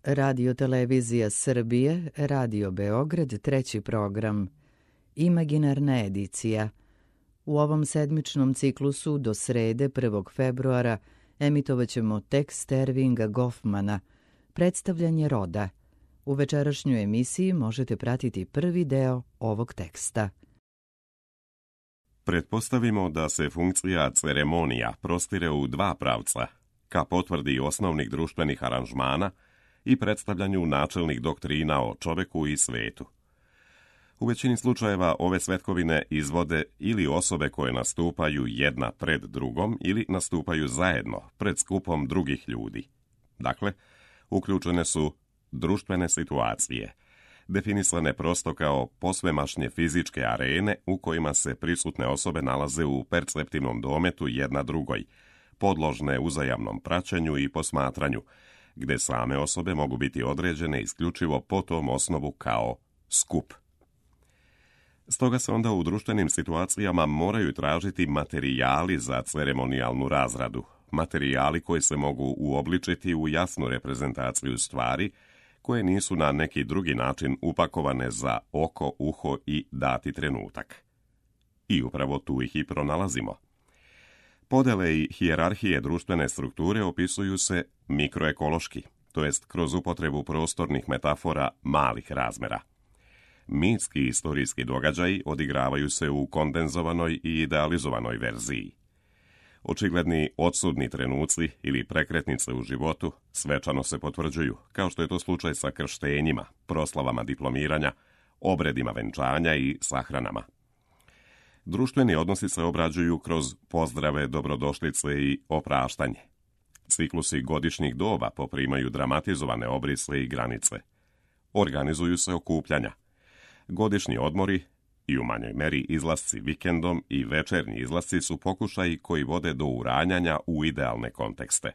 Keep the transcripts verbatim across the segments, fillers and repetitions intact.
Radio Televizija Srbije, Radio Beograd, treći program, Imaginarna edicija. U ovom sedmičnom ciklusu do srede prvog februara emitovaćemo tekst Ervinga Goffmana, Predstavljanje roda. U večerašnjoj emisiji možete pratiti prvi deo ovog teksta. Pretpostavimo da se funkcija ceremonija prostire u dva pravca, ka potvrdi osnovnih društvenih aranžmana i predstavljanju načelnih doktrina o čoveku i svetu. U većini slučajeva ove svetkovine izvode ili osobe koje nastupaju jedna pred drugom ili nastupaju zajedno pred skupom drugih ljudi. Dakle, uključene su društvene situacije, definisane prosto kao posvemašnje fizičke arene u kojima se prisutne osobe nalaze u perceptivnom dometu jedna drugoj, podložne uzajamnom praćenju i posmatranju, gde same osobe mogu biti određene isključivo po tom osnovu kao skup. Stoga se onda u društvenim situacijama moraju tražiti materijali za ceremonijalnu razradu, materijali koji se mogu uobličiti u jasnu reprezentaciju stvari, koje nisu na neki drugi način upakovane za oko, uho i dati trenutak. I upravo tu ih i pronalazimo. Podele i hijerarhije društvene strukture opisuju se mikroekološki, to jest kroz upotrebu prostornih metafora malih razmera. Mitski i istorijski događaji odigravaju se u kondenzovanoj i idealizovanoj verziji. Očigledni odsudni trenuci ili prekretnice u životu svečano se potvrđuju, kao što je to slučaj sa krštenjima, proslavama diplomiranja, obredima venčanja i sahranama. Društveni odnosi se obrađuju kroz pozdrave, dobrodošlice i opraštanje. Ciklusi godišnjih doba poprimaju dramatizovane obrise i granice. Organizuju se okupljanja. Godišnji odmori i u manjoj meri izlasci vikendom i večernji izlasci su pokušaji koji vode do uranjanja u idealne kontekste.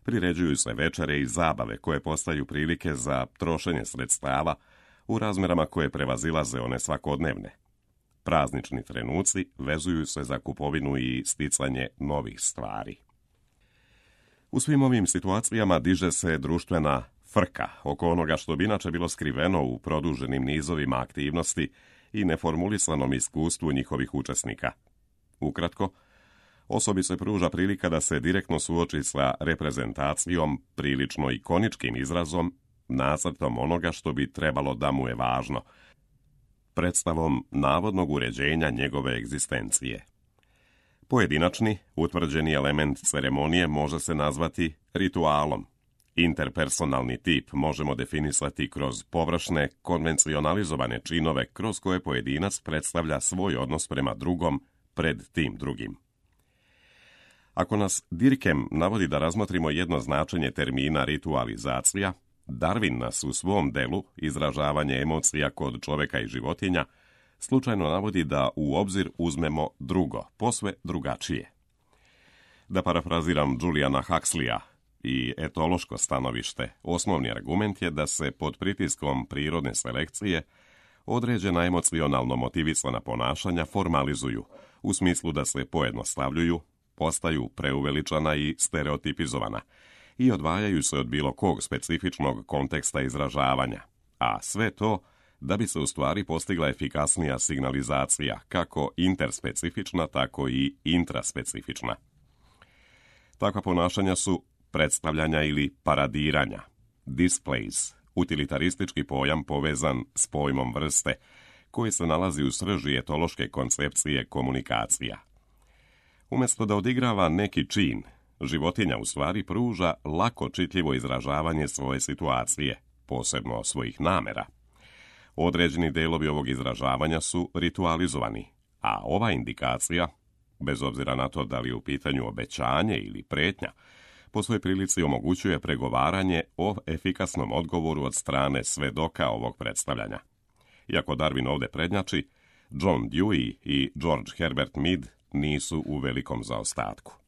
Priređuju se večere i zabave koje postaju prilike za trošenje sredstava u razmerama koje prevazilaze one svakodnevne. Praznični trenuci vezuju se za kupovinu i sticanje novih stvari. U svim ovim situacijama diže se društvena frka oko onoga što bi inače bilo skriveno u produženim nizovima aktivnosti i neformulisanom iskustvu njihovih učesnika. Ukratko, osobi se pruža prilika da se direktno suoči sa reprezentacijom, prilično ikoničkim izrazom, nacrtom onoga što bi trebalo da mu je važno, predstavom navodnog uređenja njegove egzistencije. Pojedinačni, utvrđeni element ceremonije može se nazvati ritualom. Interpersonalni tip možemo definisati kroz površne, konvencionalizovane činove kroz koje pojedinac predstavlja svoj odnos prema drugom pred tim drugim. Ako nas Dirkem navodi da razmotrimo jedno značenje termina ritualizacija, Darwin nas u svom delu Izražavanje emocija kod čoveka i životinja slučajno navodi da u obzir uzmemo drugo, posve drugačije. Da parafraziram Juliana Huxleya, i etološko stanovište, osnovni argument je da se pod pritiskom prirodne selekcije određena emocionalno motivisana ponašanja formalizuju, u smislu da se pojednostavljuju, postaju preuveličana i stereotipizovana i odvajaju se od bilo kog specifičnog konteksta izražavanja, a sve to da bi se u stvari postigla efikasnija signalizacija, kako interspecifična, tako i intraspecifična. Takva ponašanja su predstavljanja ili paradiranja, displays, utilitaristički pojam povezan s pojmom vrste, koji se nalazi u srži etološke koncepcije komunikacija. Umjesto da odigrava neki čin, životinja u stvari pruža lako čitljivo izražavanje svoje situacije, posebno svojih namera. Određeni delovi ovog izražavanja su ritualizovani, a ova indikacija, bez obzira na to da li je u pitanju obećanje ili pretnja, po svojoj prilici omogućuje pregovaranje o efikasnom odgovoru od strane svedoka ovog predstavljanja. Iako Darwin ovdje prednjači, John Dewey i George Herbert Mead nisu u velikom zaostatku.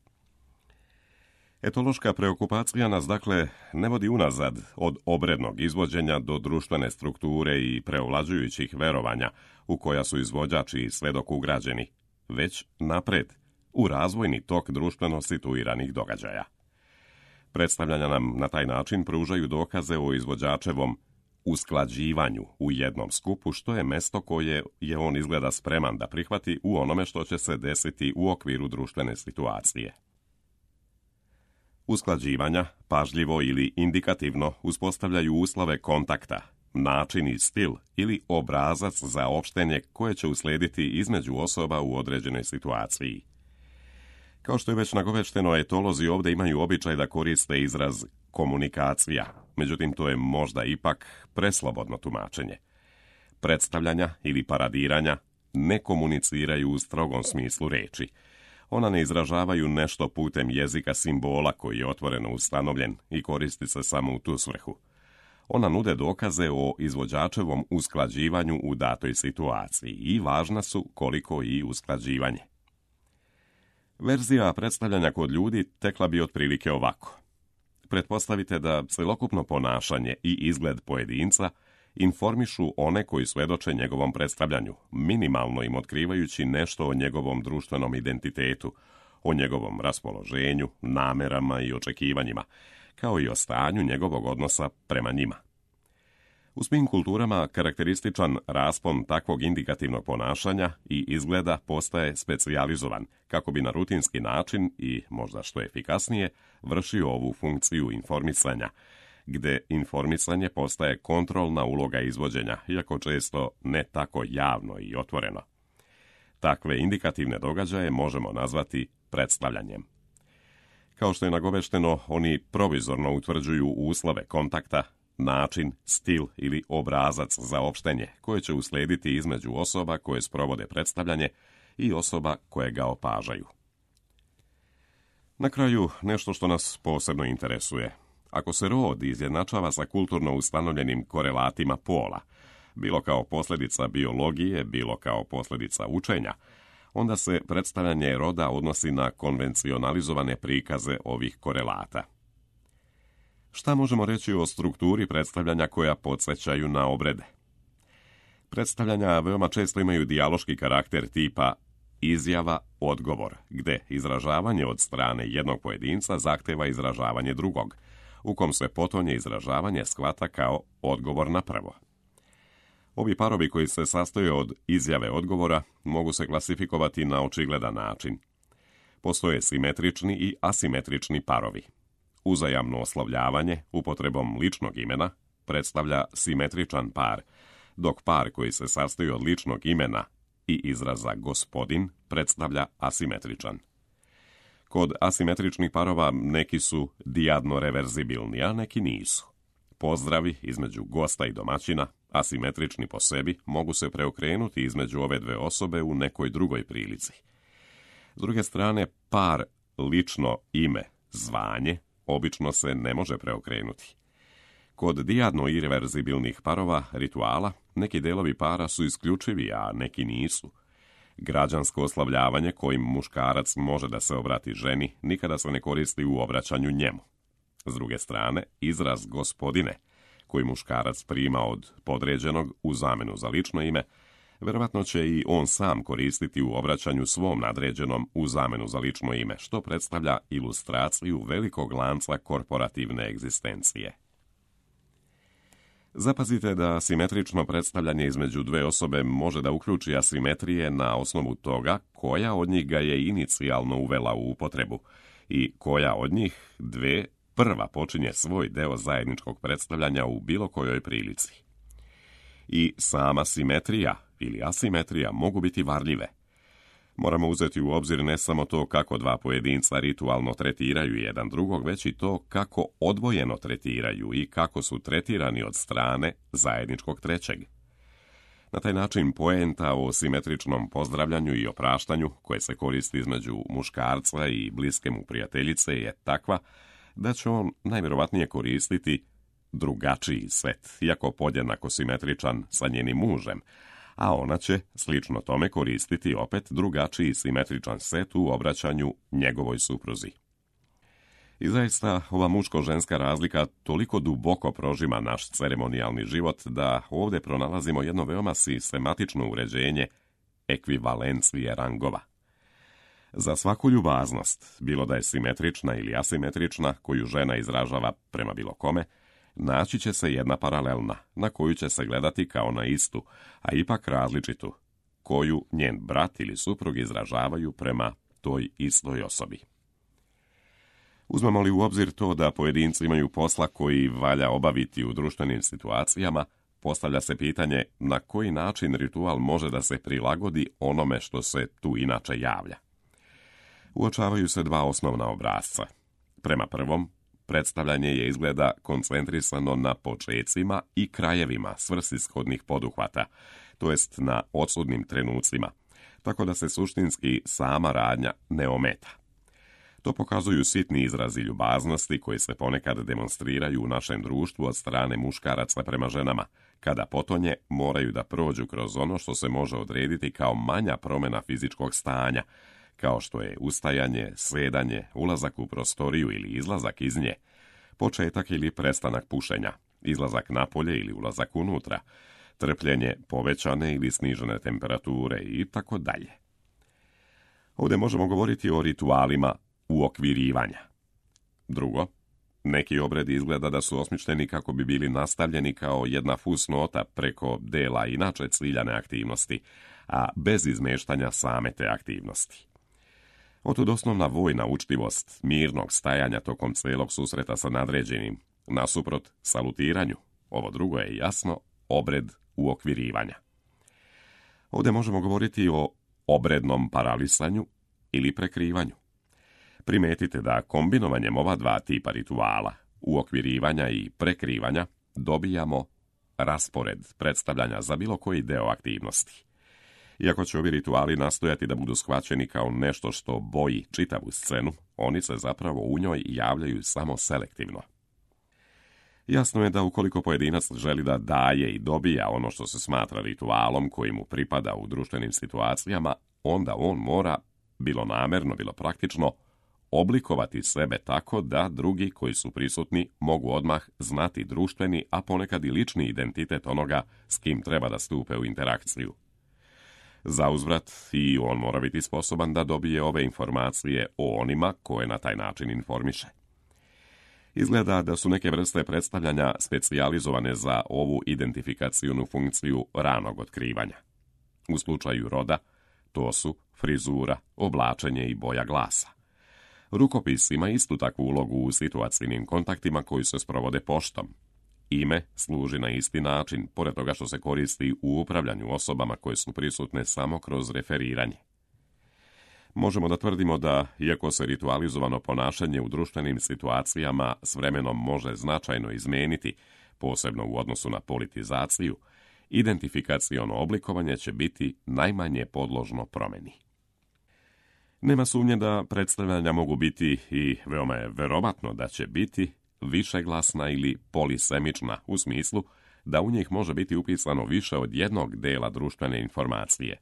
Etološka preokupacija nas dakle ne vodi unazad od obrednog izvođenja do društvene strukture i preovlađujućih verovanja u koja su izvođači i svedok ugrađeni, već napred, u razvojni tok društveno situiranih događaja. Predstavljanja nam na taj način pružaju dokaze o izvođačevom usklađivanju u jednom skupu, što je mesto koje je on izgleda spreman da prihvati u onome što će se desiti u okviru društvene situacije. Usklađivanja, pažljivo ili indikativno, uspostavljaju uslove kontakta, način i stil ili obrazac za opštenje koje će uslijediti između osoba u određenoj situaciji. Kao što je već nagovešteno, etolozi ovdje imaju običaj da koriste izraz komunikacija, međutim to je možda ipak preslobodno tumačenje. Predstavljanja ili paradiranja ne komuniciraju u strogom smislu reči. Ona ne izražavaju nešto putem jezika simbola koji je otvoreno ustanovljen i koristi se samo u tu svrhu. Ona nude dokaze o izvođačevom usklađivanju u datoj situaciji i važna su koliko i usklađivanje. Verzija predstavljanja kod ljudi tekla bi otprilike ovako. Pretpostavite da celokupno ponašanje i izgled pojedinca informišu one koji svedoče njegovom predstavljanju, minimalno im otkrivajući nešto o njegovom društvenom identitetu, o njegovom raspoloženju, namerama i očekivanjima, kao i o stanju njegovog odnosa prema njima. U svim kulturama karakterističan raspon takvog indikativnog ponašanja i izgleda postaje specijalizovan, kako bi na rutinski način i možda što efikasnije vršio ovu funkciju informisanja, gde informisanje postaje kontrolna uloga izvođenja, iako često ne tako javno i otvoreno. Takve indikativne događaje možemo nazvati predstavljanjem. Kao što je nagovešteno, oni provizorno utvrđuju uslove kontakta, način, stil ili obrazac za opštenje koje će uslijediti između osoba koje sprovode predstavljanje i osoba koje ga opažaju. Na kraju, nešto što nas posebno interesuje. Ako se rod izjednačava sa kulturno ustanovljenim korelatima pola, bilo kao posljedica biologije, bilo kao posljedica učenja, onda se predstavljanje roda odnosi na konvencionalizovane prikaze ovih korelata. Šta možemo reći o strukturi predstavljanja koja podsjećaju na obrede? Predstavljanja veoma često imaju dijaloški karakter tipa izjava-odgovor, gde izražavanje od strane jednog pojedinca zahteva izražavanje drugog, u kom se potonje izražavanje shvata kao odgovor na prvo. Ovi parovi koji se sastoje od izjave odgovora mogu se klasifikovati na očigledan način. Postoje simetrični i asimetrični parovi. Uzajamno oslovljavanje upotrebom ličnog imena predstavlja simetričan par, dok par koji se sastoji od ličnog imena i izraza gospodin predstavlja asimetričan. Kod asimetričnih parova neki su dijadno reverzibilni, a neki nisu. Pozdravi između gosta i domaćina, asimetrični po sebi, mogu se preokrenuti između ove dve osobe u nekoj drugoj prilici. S druge strane, par lično ime, zvanje, obično se ne može preokrenuti. Kod dijadno irreverzibilnih parova rituala, neki delovi para su isključivi, a neki nisu. Građansko oslavljavanje kojim muškarac može da se obrati ženi nikada se ne koristi u obraćanju njemu. S druge strane, izraz gospodine, koji muškarac prima od podređenog u zamenu za lično ime, verovatno će i on sam koristiti u obraćanju svom nadređenom u zamenu za lično ime, što predstavlja ilustraciju velikog lanca korporativne egzistencije. Zapazite da simetrično predstavljanje između dve osobe može da uključi asimetrije na osnovu toga koja od njih ga je inicijalno uvela u upotrebu i koja od njih dve prva počinje svoj deo zajedničkog predstavljanja u bilo kojoj prilici. I sama simetrija ili asimetrija mogu biti varljive. Moramo uzeti u obzir ne samo to kako dva pojedinca ritualno tretiraju jedan drugog, već i to kako odvojeno tretiraju i kako su tretirani od strane zajedničkog trećeg. Na taj način poenta o simetričnom pozdravljanju i opraštanju, koje se koristi između muškarca i bliske mu prijateljice, je takva da će on najvjerovatnije koristiti drugačiji set, iako podjednako simetričan sa njenim mužem, a ona će, slično tome, koristiti opet drugačiji simetričan set u obraćanju njegovoj supruzi. I zaista, ova muško-ženska razlika toliko duboko prožima naš ceremonijalni život da ovdje pronalazimo jedno veoma sistematično uređenje ekvivalencije rangova. Za svaku ljubaznost, bilo da je simetrična ili asimetrična, koju žena izražava prema bilo kome, naći će se jedna paralelna, na koju će se gledati kao na istu, a ipak različitu, koju njen brat ili suprug izražavaju prema toj istoj osobi. Uzmemo li u obzir to da pojedinci imaju posla koji valja obaviti u društvenim situacijama, postavlja se pitanje na koji način ritual može da se prilagodi onome što se tu inače javlja. Uočavaju se dva osnovna obrasca. Prema prvom, predstavljanje je izgleda koncentrisano na počecima i krajevima svrsishodnih poduhvata, to jest na odsudnim trenucima, tako da se suštinski sama radnja ne ometa. To pokazuju sitni izrazi ljubaznosti koji se ponekad demonstriraju u našem društvu od strane muškaraca prema ženama, kada potonje moraju da prođu kroz ono što se može odrediti kao manja promjena fizičkog stanja, kao što je ustajanje, sedanje, ulazak u prostoriju ili izlazak iz nje, početak ili prestanak pušenja, izlazak napolje ili ulazak unutra, trpljenje povećane ili snižene temperature i tako dalje. Ovdje možemo govoriti o ritualima uokvirivanja. Drugo, neki obredi izgleda da su osmišljeni kako bi bili nastavljeni kao jedna fusnota preko dela inače ciljane aktivnosti, a bez izmeštanja same te aktivnosti. Otud osnovna vojna učtivost mirnog stajanja tokom celog susreta sa nadređenim, nasuprot salutiranju, ovo drugo je jasno, obred uokvirivanja. Ovdje možemo govoriti o obrednom paralisanju ili prekrivanju. Primetite da kombinovanjem ova dva tipa rituala, uokvirivanja i prekrivanja, dobijamo raspored predstavljanja za bilo koji deo aktivnosti. Iako će ovi rituali nastojati da budu shvaćeni kao nešto što boji čitavu scenu, oni se zapravo u njoj javljaju samo selektivno. Jasno je da ukoliko pojedinac želi da daje i dobija ono što se smatra ritualom koji mu pripada u društvenim situacijama, onda on mora, bilo namerno, bilo praktično, oblikovati sebe tako da drugi koji su prisutni mogu odmah znati društveni, a ponekad i lični identitet onoga s kim treba da stupe u interakciju. Za uzvrat i on mora biti sposoban da dobije ove informacije o onima koje na taj način informiše. Izgleda da su neke vrste predstavljanja specijalizovane za ovu identifikacionu funkciju ranog otkrivanja. U slučaju roda, to su frizura, oblačenje i boja glasa. Rukopis ima istu takvu ulogu u situacijnim kontaktima koji se sprovode poštom. Ime služi na isti način, pored toga što se koristi u upravljanju osobama koje su prisutne samo kroz referiranje. Možemo da tvrdimo da, iako se ritualizovano ponašanje u društvenim situacijama s vremenom može značajno izmeniti, posebno u odnosu na politizaciju, identifikaciono oblikovanje će biti najmanje podložno promjeni. Nema sumnje da predstavljanja mogu biti, i veoma je verovatno da će biti, višeglasna ili polisemična, u smislu da u njih može biti upisano više od jednog dela društvene informacije.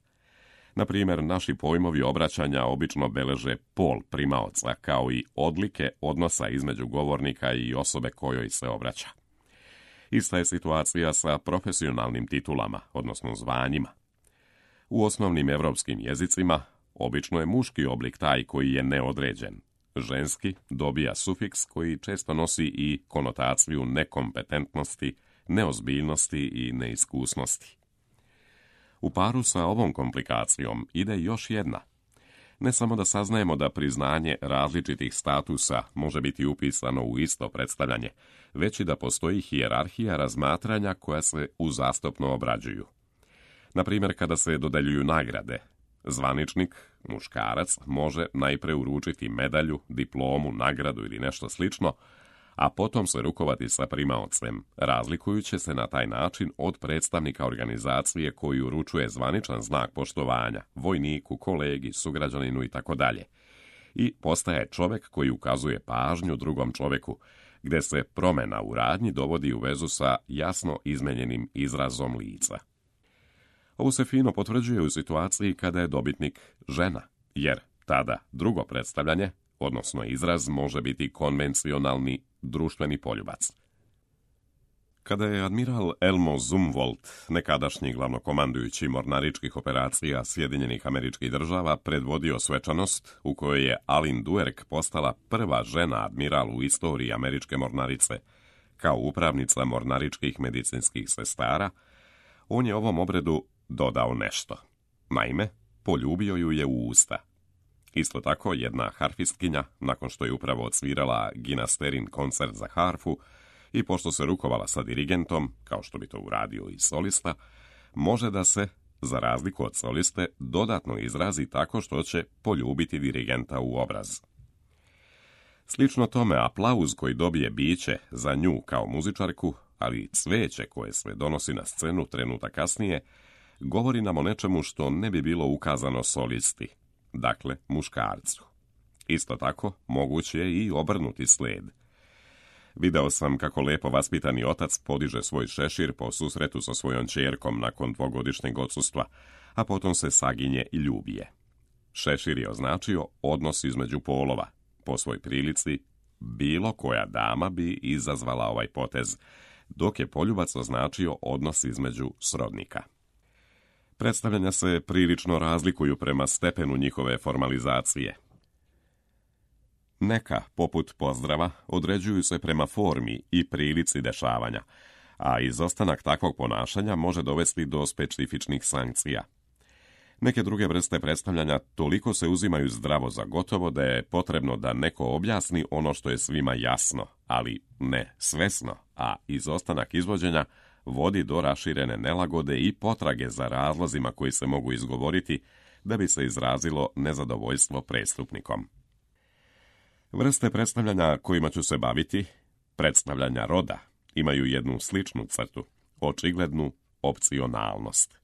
Na primjer, naši pojmovi obraćanja obično beleže pol primaoca kao i odlike odnosa između govornika i osobe kojoj se obraća. Ista je situacija sa profesionalnim titulama, odnosno zvanjima. U osnovnim evropskim jezicima obično je muški oblik taj koji je neodređen. Ženski dobija sufiks koji često nosi i konotaciju nekompetentnosti, neozbiljnosti i neiskusnosti. U paru sa ovom komplikacijom ide još jedna. Ne samo da saznajemo da priznanje različitih statusa može biti upisano u isto predstavljanje, već i da postoji hijerarhija razmatranja koja se uzastopno obrađuju. Na primjer, kada se dodeljuju nagrade, zvaničnik, muškarac, može najpre uručiti medalju, diplomu, nagradu ili nešto slično, a potom se rukovati sa primaocem, razlikujući se na taj način od predstavnika organizacije koji uručuje zvaničan znak poštovanja, vojniku, kolegi, sugrađaninu i tako dalje. I postaje čovjek koji ukazuje pažnju drugom čovjeku, gdje se promjena u radnji dovodi u vezu sa jasno izmenjenim izrazom lica. Ovo se fino potvrđuje u situaciji kada je dobitnik žena, jer tada drugo predstavljanje, odnosno izraz, može biti konvencionalni društveni poljubac. Kada je admiral Elmo Zumwalt, nekadašnji glavnokomandujući mornaričkih operacija Sjedinjenih Američkih Država, predvodio svečanost u kojoj je Alin Duerk postala prva žena admiral u istoriji američke mornarice, kao upravnica mornaričkih medicinskih sestara, on je ovom obredu dodao nešto. Naime, poljubio ju je u usta. Isto tako, jedna harfistkinja, nakon što je upravo odsvirala Ginasterin koncert za harfu, i pošto se rukovala sa dirigentom, kao što bi to uradio i solista, može da se, za razliku od soliste, dodatno izrazi tako što će poljubiti dirigenta u obraz. Slično tome, aplauz koji dobije biće za nju kao muzičarku, ali i cveće koje se donosi na scenu trenutak kasnije, govori nam o nečemu što ne bi bilo ukazano solisti, dakle muškarcu. Isto tako, moguće je i obrnuti sled. Video sam kako lepo vaspitani otac podiže svoj šešir po susretu sa svojom ćerkom nakon dvogodišnjeg odsustva, a potom se saginje i ljubije. Šešir je označio odnos između polova. Po svoj prilici, bilo koja dama bi izazvala ovaj potez, dok je poljubac označio odnos između srodnika. Predstavljanja se prilično razlikuju prema stepenu njihove formalizacije. Neka, poput pozdrava, određuju se prema formi i prilici dešavanja, a izostanak takvog ponašanja može dovesti do specifičnih sankcija. Neke druge vrste predstavljanja toliko se uzimaju zdravo za gotovo da je potrebno da neko objasni ono što je svima jasno, ali ne svesno, a izostanak izvođenja vodi do raširene nelagode i potrage za razlozima koji se mogu izgovoriti da bi se izrazilo nezadovoljstvo prestupnikom. Vrste predstavljanja kojima ću se baviti, predstavljanja roda, imaju jednu sličnu crtu, očiglednu opcionalnost.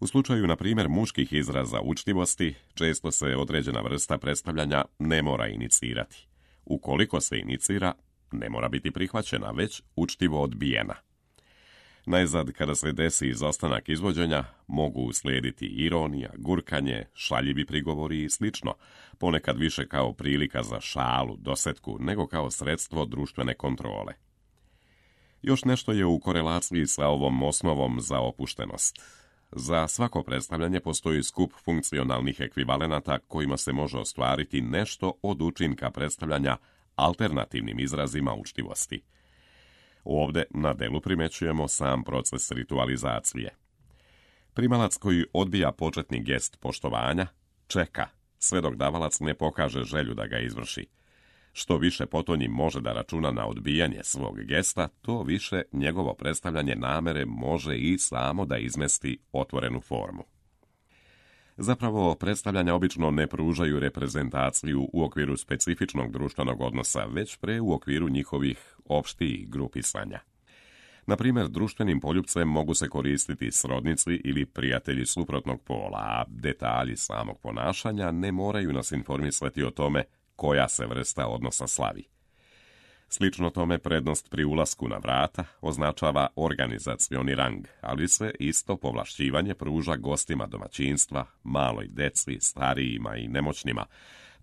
U slučaju, na primjer, muških izraza učtivosti, često se određena vrsta predstavljanja ne mora inicirati. Ukoliko se inicira, ne mora biti prihvaćena, već učtivo odbijena. Najzad, kada se desi izostanak izvođenja, mogu uslijediti ironija, gurkanje, šaljivi prigovori i slično, ponekad više kao prilika za šalu, dosetku, nego kao sredstvo društvene kontrole. Još nešto je u korelaciji sa ovom osnovom za opuštenost. Za svako predstavljanje postoji skup funkcionalnih ekvivalenata kojima se može ostvariti nešto od učinka predstavljanja alternativnim izrazima učtivosti. Ovdje na delu primećujemo sam proces ritualizacije. Primalac koji odbija početni gest poštovanja čeka sve dok davalac ne pokaže želju da ga izvrši. Što više potonji može da računa na odbijanje svog gesta, to više njegovo predstavljanje namere može i samo da izmesti otvorenu formu. Zapravo, predstavljanja obično ne pružaju reprezentaciju u okviru specifičnog društvenog odnosa, već pre u okviru njihovih opštijih grupisanja. Na primjer, društvenim poljupcem mogu se koristiti srodnici ili prijatelji suprotnog pola, a detalji samog ponašanja ne moraju nas informisati o tome koja se vrsta odnosa slavi. Slično tome, prednost pri ulasku na vrata označava organizacioni rang, ali se isto povlašćivanje pruža gostima domaćinstva, maloj deci, starijima i nemoćnima,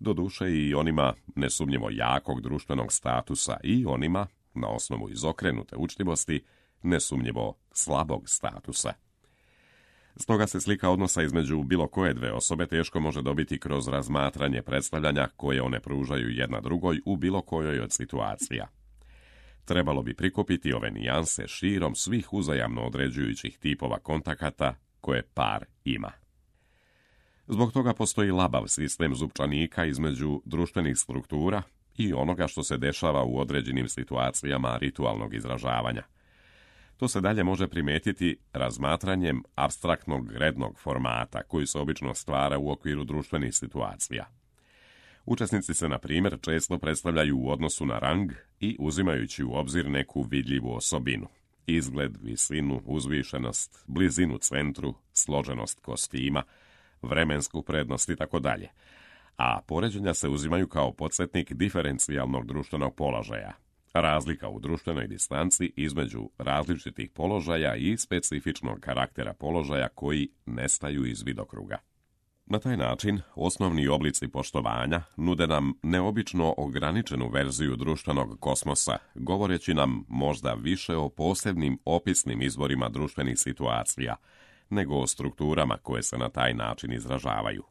doduše i onima nesumnjivo jakog društvenog statusa i onima, na osnovu izokrenute učtivosti, nesumnjivo slabog statusa. Stoga se slika odnosa između bilo koje dve osobe teško može dobiti kroz razmatranje predstavljanja koje one pružaju jedna drugoj u bilo kojoj od situacija. Trebalo bi prikupiti ove nijanse širom svih uzajamno određujućih tipova kontakata koje par ima. Zbog toga postoji labav sistem zupčanika između društvenih struktura i onoga što se dešava u određenim situacijama ritualnog izražavanja. To se dalje može primetiti razmatranjem apstraktnog rednog formata koji se obično stvara u okviru društvenih situacija. Učesnici se, na primjer, često predstavljaju u odnosu na rang i uzimajući u obzir neku vidljivu osobinu. Izgled, visinu, uzvišenost, blizinu centru, složenost kostima, vremensku prednost i tako dalje. A poređenja se uzimaju kao podsjetnik diferencijalnog društvenog položaja. Razlika u društvenoj distanci između različitih položaja i specifičnog karaktera položaja koji nestaju iz vidokruga. Na taj način, osnovni oblici poštovanja nude nam neobično ograničenu verziju društvenog kosmosa, govoreći nam možda više o posebnim opisnim izvorima društvenih situacija, nego o strukturama koje se na taj način izražavaju.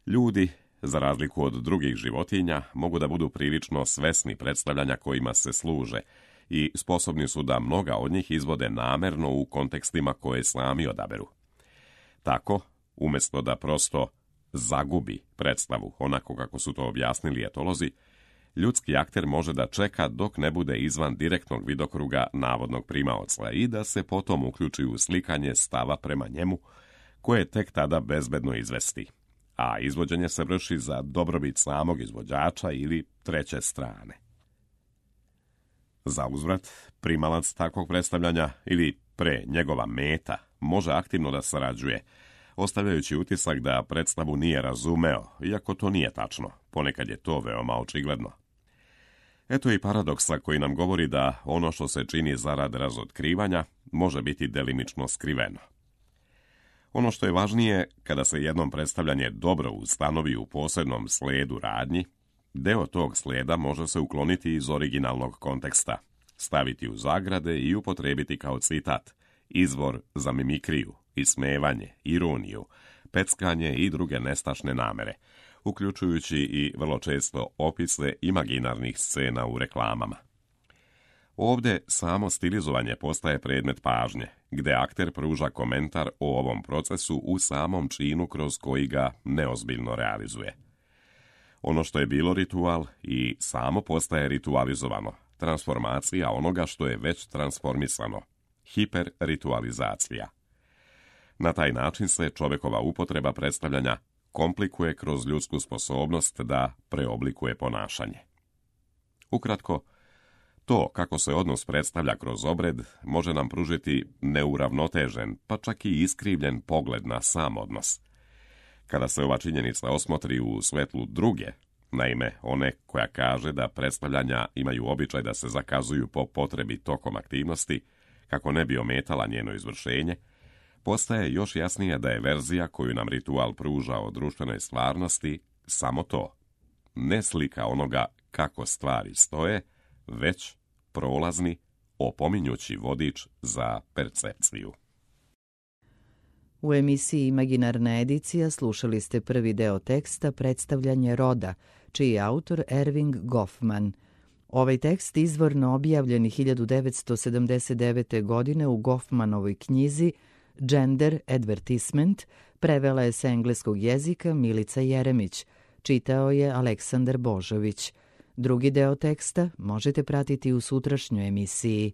Ljudi, za razliku od drugih životinja, mogu da budu prilično svesni predstavljanja kojima se služe i sposobni su da mnoga od njih izvode namerno u kontekstima koje sami odaberu. Tako, umjesto da prosto zagubi predstavu onako kako su to objasnili etolozi, ljudski akter može da čeka dok ne bude izvan direktnog vidokruga navodnog primaoca i da se potom uključi u slikanje stava prema njemu, koje tek tada bezbedno izvesti, a izvođenje se vrši za dobrobit samog izvođača ili treće strane. Za uzvrat, primalac takvog predstavljanja ili pre njegova meta može aktivno da sarađuje, ostavljajući utisak da predstavu nije razumeo, iako to nije tačno, ponekad je to veoma očigledno. Eto i paradoksa koji nam govori da ono što se čini zarad razotkrivanja može biti delimično skriveno. Ono što je važnije, kada se jednom predstavljanje dobro ustanovi u posebnom sledu radnji, deo tog sleda može se ukloniti iz originalnog konteksta, staviti u zagrade i upotrebiti kao citat, izvor za mimikriju, ismevanje, ironiju, peckanje i druge nestašne namere, uključujući i vrlo često opise imaginarnih scena u reklamama. Ovdje samo stilizovanje postaje predmet pažnje, gde akter pruža komentar o ovom procesu u samom činu kroz koji ga neozbiljno realizuje. Ono što je bilo ritual i samo postaje ritualizovano, transformacija onoga što je već transformisano, hiperritualizacija. Na taj način se čovjekova upotreba predstavljanja komplikuje kroz ljudsku sposobnost da preoblikuje ponašanje. Ukratko, to kako se odnos predstavlja kroz obred može nam pružiti neuravnotežen, pa čak i iskrivljen pogled na sam odnos. Kada se ova činjenica osmotri u svetlu druge, naime one koja kaže da predstavljanja imaju običaj da se zakazuju po potrebi tokom aktivnosti, kako ne bi ometala njeno izvršenje, postaje još jasnije da je verzija koju nam ritual pruža o društvenoj stvarnosti samo to, ne slika onoga kako stvari stoje, već prolazni, opominjući vodič za percepciju. U emisiji Imaginarna edicija slušali ste prvi deo teksta Predstavljanje roda, čiji je autor Erving Goffman. Ovaj tekst izvorno objavljen hiljadu devetsto sedamdeset devete. godine u Goffmanovoj knjizi Gender Advertisement, prevela je sa engleskog jezika Milica Jeremić, čitao je Aleksandar Božović. Drugi deo teksta možete pratiti u sutrašnjoj emisiji.